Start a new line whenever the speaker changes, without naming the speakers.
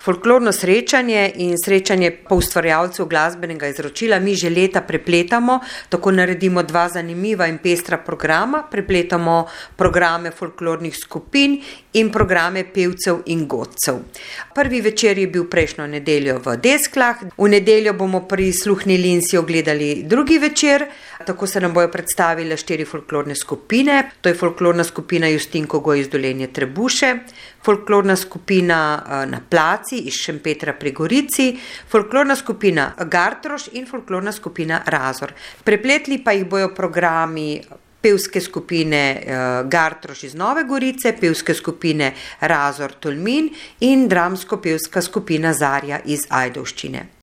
Folklorno srečanje in srečanje poustvarjalcev glasbenega izročila mi že leta prepletamo, tako naredimo 2 zanimiva in pestra programa, prepletamo programe folklornih skupin in programe pevcev in godcev. Prvi večer je bil prejšnjo nedeljo v Desklah, v nedeljo bomo prisluhnili in si ogledali drugi večer, tako se nam bojo predstavile 4 folklorne skupine, to je folklorna skupina Justinko Goj iz Dolenje Trebuše, folklorna skupina Na Placi iz Šempetra pri Gorici, folklorna skupina Gartroš in folklorna skupina Razor. Prepletli pa jih bojo programi pevske skupine Gartroš iz Nove Gorice, pevske skupine Razor Tolmin in dramsko-pevska skupina Zarja iz Ajdovščine.